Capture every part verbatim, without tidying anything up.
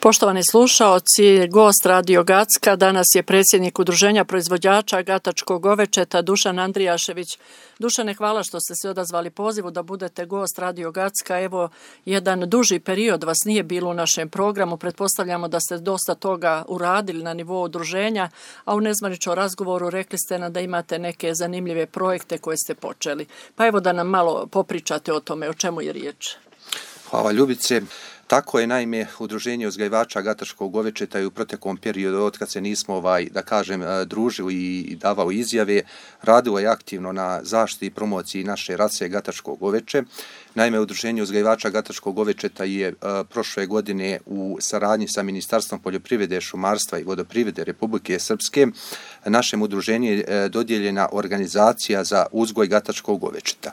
Poštovani slušaoci, gost Radio Gacka danas je predsjednik Udruženja proizvođača gatačkog govečeta Dušan Andrijašević. Dušane, hvala što ste se odazvali pozivu da budete gost Radio Gacka. Evo, jedan duži period vas nije bilo u našem programu. Pretpostavljamo da ste dosta toga uradili na nivou udruženja, a u nezvaničnom razgovoru rekli ste nam da imate neke zanimljive projekte koje ste počeli. Pa evo da nam malo popričate o tome, o čemu je riječ. Hvala Ljubice. Tako je, naime, Udruženje uzgajivača gatačkog govečeta i u proteklom periodu, od kad se nismo, ovaj, da kažem, družili i davao izjave, radilo je aktivno na zaštiti i promociji naše rase gatačkog goveče. Naime, Udruženje uzgajivača gatačkog govečeta je uh, prošle godine u saradnji sa Ministarstvom poljoprivrede, šumarstva i vodoprivrede Republike Srpske našem udruženju je uh, dodijeljena organizacija za uzgoj gatačkog govečeta.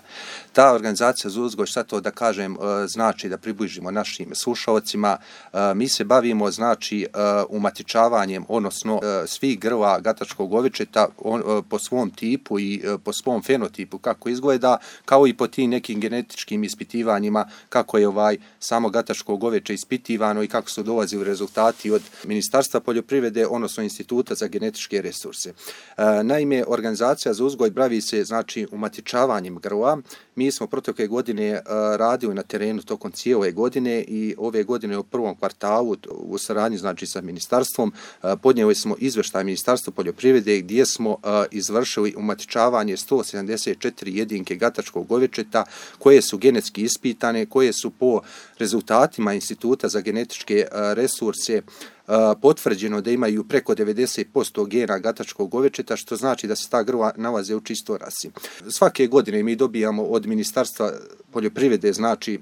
Ta organizacija za uzgoj, šta to da kažem, uh, znači da približimo našim slušalcima, uh, mi se bavimo znači uh, umatičavanjem, odnosno uh, svih grla gatačkog govečeta on, uh, po svom tipu i uh, po svom fenotipu kako izgleda, kao i po tim nekim genetičkim ispitivanjima kako je ovaj samo gatačko goveče ispitivano i kako su dolazili rezultati od Ministarstva poljoprivrede, odnosno Instituta za genetičke resurse. E, naime, organizacija za uzgoj bavi se znači umatičavanjem grla. Mi smo protekle godine e, radili na terenu tokom cijele godine i ove godine u prvom kvartalu u saradnji znači sa ministarstvom e, podnijeli smo izveštaj Ministarstva poljoprivrede gdje smo e, izvršili umatičavanje sto sedamdeset četiri jedinke gatačkog govečeta koje su genetski ispitane, koje su po rezultatima Instituta za genetičke resurse potvrđeno da imaju preko devedeset posto gena gatačkog govečeta, što znači da se ta grla nalaze u čistoj rasi. Svake godine mi dobijamo od Ministarstva poljoprivrede znači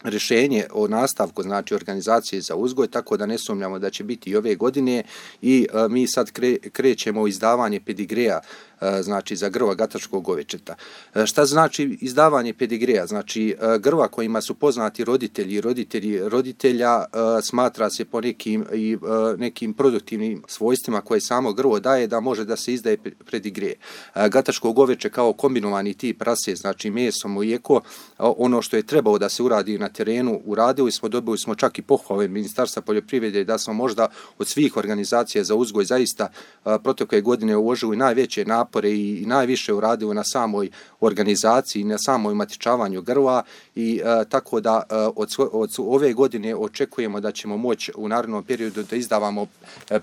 rješenje o nastavku znači organizacije za uzgoj, tako da ne sumnjamo da će biti i ove godine i a, mi sad kre, krećemo u izdavanje pedigreja a, znači za grla gatačkog govečeta. A, šta znači izdavanje pedigreja? Znači a, grla kojima su poznati roditelji i roditelji roditelja a, smatra se po nekim i a, nekim produktivnim svojstvima koje samo grlo daje da može da se izdaje pedigreje. Gatačko goveče kao kombinovani tip rase, znači meso, mlijeko, ono što je trebalo da se uradi na terenu uradili smo, dobili smo čak i pohvale Ministarstva poljoprivrede da smo možda od svih organizacija za uzgoj zaista protekle godine uložili najveće napore i, i najviše uradili na samoj organizaciji, na samoj umatičavanju grla i a, tako da a, od, od ove godine očekujemo da ćemo moći u narednom periodu da izdavamo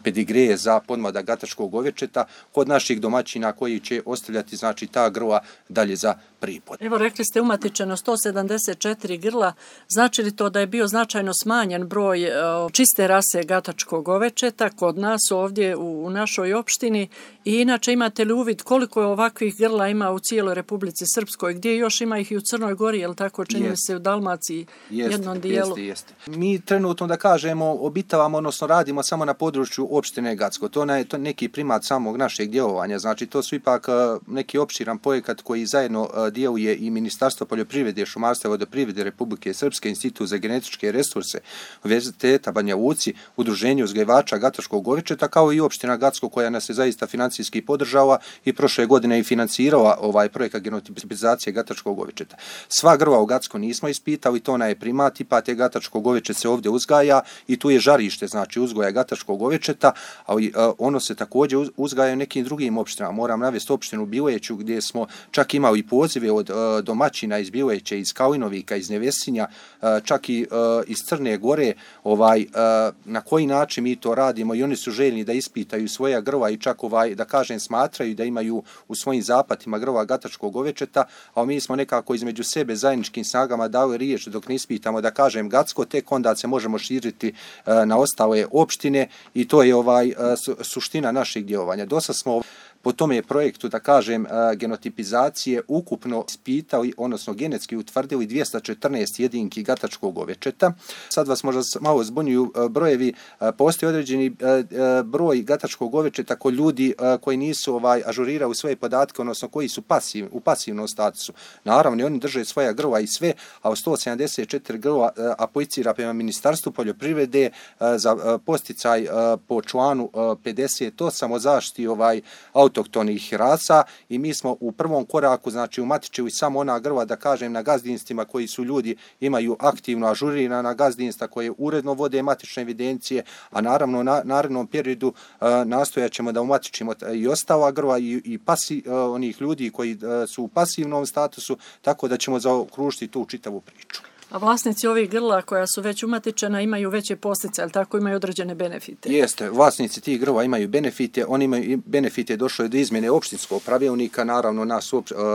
pedigreje za podmladak gatačkog govečeta kod naših domaćina koji će ostavljati znači ta grla dalje za pripod. Evo rekli ste umatičeno sto sedamdeset četiri grla. Znači li to da je bio značajno smanjen broj uh, čiste rase gatačkog govečeta kod nas ovdje u, u našoj opštini i inače imate li uvid koliko je ovakvih grla ima u cijeloj Republici Srpskoj, gdje još ima ih i u Crnoj Gori, je li tako čini mi se u Dalmaciji jest, jednom dijelu? Jeste, jeste. Mi trenutno da kažemo obitavamo, odnosno radimo samo na području opštine Gacko. To je to neki primat samog našeg djelovanja, znači to su ipak uh, neki opširan projekat koji zajedno uh, djeluje i Ministarstvo poljoprivrede, šumarstva i vodoprivrede Republike Srpske, Institut za genetičke resurse, Univerziteta Banja Luci, Udruženje uzgajivača gatačkog govečeta, kao i opština Gacko koja nas je zaista financijski podržala i prošle godine i financirala ovaj projekat genotipizacije gatačkog govečeta. Sva grla u Gacko nismo ispitali, to ona je primat, pa te gatačko govečet se ovdje uzgaja i tu je žarište, znači uzgoja gatačkog govečeta, ali uh, ono se također uzgaja u nekim drugim opštinama. Moram navesti opštinu Bileću gdje smo čak imali pozive od uh, domaćina iz Bileće, iz Kalinovika, iz Nevesinja, uh, čak i uh, iz Crne Gore, ovaj, uh, na koji način mi to radimo i oni su željni da ispitaju svoja grla i čak ovaj, da kažem smatraju da imaju u svojim zapatima grla gatačkog govečeta, a mi smo nekako između sebe zajedničkim snagama dali riječ dok ne ispitamo da kažem Gacko, tek onda se možemo širiti uh, na ostale opštine i to je ovaj uh, su, suština našeg djelovanja. Dosta smo po tome projektu, da kažem, genotipizacije ukupno ispitali, odnosno genetski utvrdili dvjesto četrnaest jedinki gatačkog govečeta. Sad vas možda malo zbunjuju brojevi, postoji određeni broj gatačkog govečeta kod ljudi koji nisu ovaj ažurirali svoje podatke, odnosno koji su pasiv, u pasivnom statusu. Naravno, oni drže svoja grla i sve, a u sto sedamdeset četiri grla aplicira prema Ministarstvu poljoprivrede za posticaj po članu pedeset osam o zaštiti ovaj auto autohtonih rasa i mi smo u prvom koraku, znači umatičili samo ona grla, da kažem, na gazdinstvima koji su ljudi imaju aktivno ažurirana gazdinstva koje uredno vode matične evidencije, a naravno na narednom periodu uh, nastojat ćemo da umatičimo i ostala grla i, i pasi, uh, onih ljudi koji uh, su u pasivnom statusu, tako da ćemo zaokružiti tu čitavu priču. A vlasnici ovih grla koja su već umatičena imaju veće posljedice, ali tako imaju određene benefite? Jeste, vlasnici tih grla imaju benefite, oni imaju benefite, došlo je do izmjene opštinskog pravilnika, naravno nas,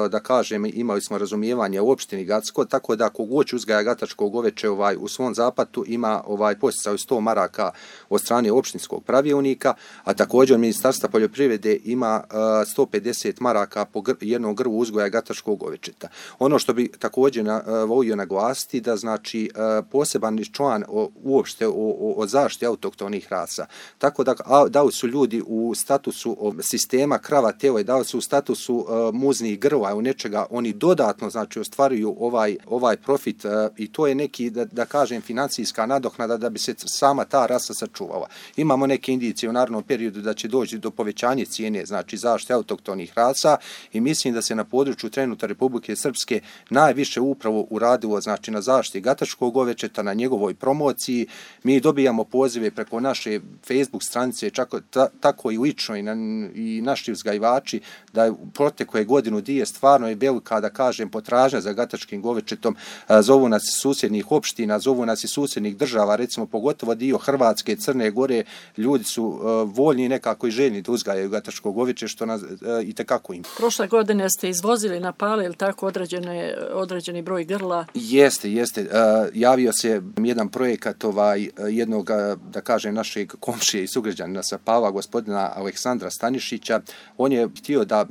da kažem, imali smo razumijevanje u opštini Gacko, tako da kogod uzgaja gatačko goveče ovaj, u svom zapatu ima ovaj podsticaj sto maraka od strane opštinskog pravilnika, a također Ministarstva poljoprivrede ima uh, sto pedeset maraka po gr jednom grlu uzgoja gatačkog govečeta. Ono što bi također na, uh, volio naglasiti da znači poseban član uopšte o, o, o zaštiti autohtonih rasa. Tako da dao su ljudi u statusu sistema krava tele, dao su u statusu uh, muznih grla, u nečega, oni dodatno znači ostvaruju ovaj, ovaj profit uh, i to je neki, da, da kažem, financijska nadoknada da bi se sama ta rasa sačuvala. Imamo neke indicije u narednom periodu da će doći do povećanja cijene, znači zaštite autohtonih rasa i mislim da se na području trenutno Republike Srpske najviše upravo uradilo, znači na zaštiti gatačkog govečeta, na njegovoj promociji. Mi dobijamo pozive preko naše Facebook stranice, čako, ta, tako i lično i, na, i naši uzgajivači, da je protekle godinu dvije stvarno je velika, da kažem, potražnja za gatačkim govečetom. Zovu nas iz susjednih opština, zovu nas iz susjednih država, recimo pogotovo dio Hrvatske, Crne Gore, ljudi su uh, voljni nekako i željni da uzgajaju gatačko goveče, što nas uh, i tekako im. Prošle godine ste izvozili na Pale, ili tako, određene, određeni broj grla? Jeste, jeste. Uh, javio se jedan projekat ovaj, jednog, da kažem, našeg komšije i sugrađanina sa Pala, gospodina Aleksandra Stanišića. On je htio da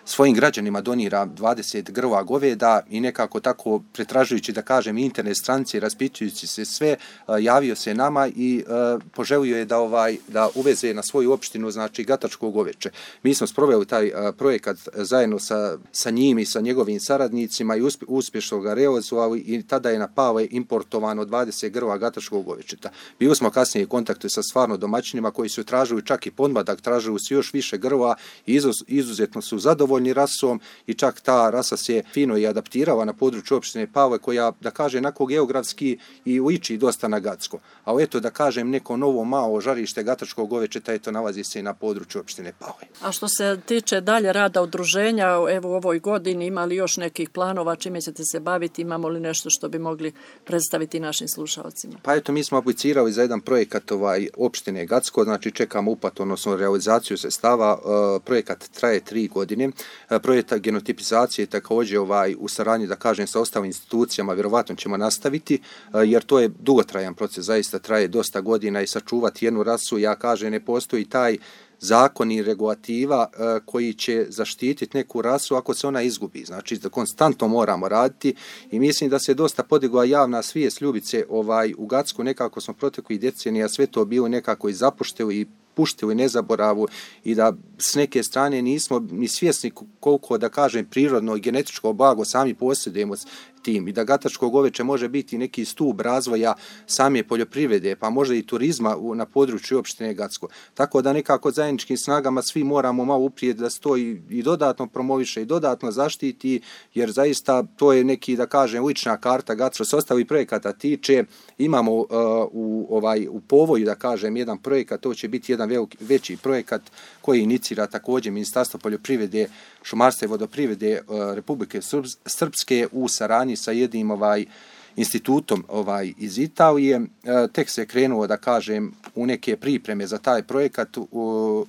svojim građanima donira dvadeset grla goveda i nekako tako pretražujući, da kažem, internet stranice, raspitujući se sve, javio se nama i uh, poželio je da ovaj da uveze na svoju opštinu, znači gatačko goveče. Mi smo sproveli taj uh, projekat zajedno sa, sa njim i sa njegovim saradnicima i uspje, uspješno ga realizovali i tada je na Pale importovano dvadeset grla gatačkog govečeta. Bili smo kasnije u kontaktu sa stvarno domaćinima koji su tražili čak i podmladak, tražili su još više grla i izuz, izuzetno su zadovoljni rasom i čak ta rasa se fino i adaptirala na području opštine Pale koja, da kažem, onako geografski i liči dosta na Gacko. A eto, da kažem, neko novo malo žarište gatačkog govečeta, eto, nalazi se i na području opštine Pale. A što se tiče dalje rada udruženja, evo u ovoj godini imali još nekih planova, čime ćete se baviti, imamo li nešto što bi mogli predstaviti našim slušalcima? Pa eto, mi smo aplicirali za jedan projekat ovaj, opštine Gacko, znači čekamo uplatu, odnosno realizaciju sredstava. Uh, projekat traje tri godine. Projekt genotipizacije također ovaj, u saradnji, da kažem, sa ostalim institucijama vjerovatno ćemo nastaviti, jer to je dugotrajan proces, zaista traje dosta godina i sačuvati jednu rasu, ja kažem, ne postoji taj zakon i regulativa uh, koji će zaštititi neku rasu ako se ona izgubi. Znači, da konstantno moramo raditi i mislim da se dosta podigla javna svijest Ljubice ovaj, u Gacku, nekako smo proteklih decenija sve to bilo nekako i zapušteno i puštili nezaboravu i da s neke strane nismo ni svjesni koliko, da kažem, prirodno i genetičko blago sami posjedujemo tim i da gatačko goveče može biti neki stup razvoja same poljoprivrede, pa možda i turizma u, na području opštine Gacko. Tako da nekako zajedničkim snagama svi moramo malo uprijeti da se to i, i dodatno promoviše i dodatno zaštiti, jer zaista to je neki, da kažem, lična karta Gacko. S ostali projekata tiče, imamo uh, u, ovaj, u povoju, da kažem, jedan projekat, to će biti jedan veliki, veći projekat koji inicira također Ministarstvo poljoprivrede, šumarstva i vodoprivrede uh, Republike Srpske u saradnji sa jednim ovaj institutom ovaj iz Italije. E, tek se krenuo, da kažem, u neke pripreme za taj projekat. U,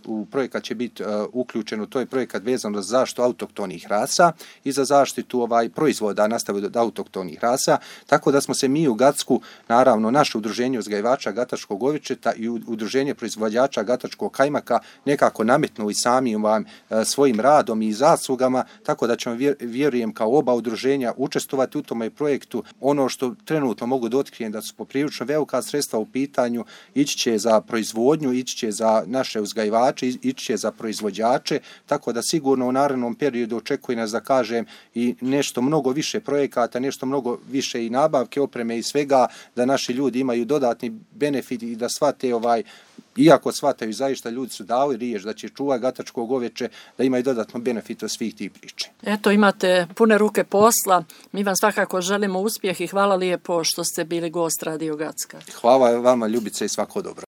u projekat će biti uh, uključeno, to je projekat vezano za zaštitu autohtonih rasa i za zaštitu ovaj proizvoda nastavljaju od autohtonih rasa. Tako da smo se mi u Gacku, naravno naše udruženje uzgajivača gatačkog govečeta i udruženje proizvođača gatačkog kajmaka nekako nametnuli sami vam uh, svojim radom i zaslugama, tako da ćemo, vjer, vjerujem, kao oba udruženja učestvovati u tome projektu. Ono što trenutno mogu da otkrijem da su poprilično velika sredstva u pitanju, ići će za proizvodnju, ići će za naše uzgajivače, ići će za proizvođače, tako da sigurno u narednom periodu očekuje nas, da kažem, i nešto mnogo više projekata, nešto mnogo više i nabavke, opreme i svega, da naši ljudi imaju dodatni benefit i da shvate ovaj iako shvataju zaista ljudi su dali riječ da će čuvati gatačko goveče, da imaju dodatno benefit od svih tih priče. Eto, imate pune ruke posla. Mi vam svakako želimo uspjeh i hvala lijepo što ste bili gost Radio Gacka. Hvala vama, Ljubice, i svako dobro.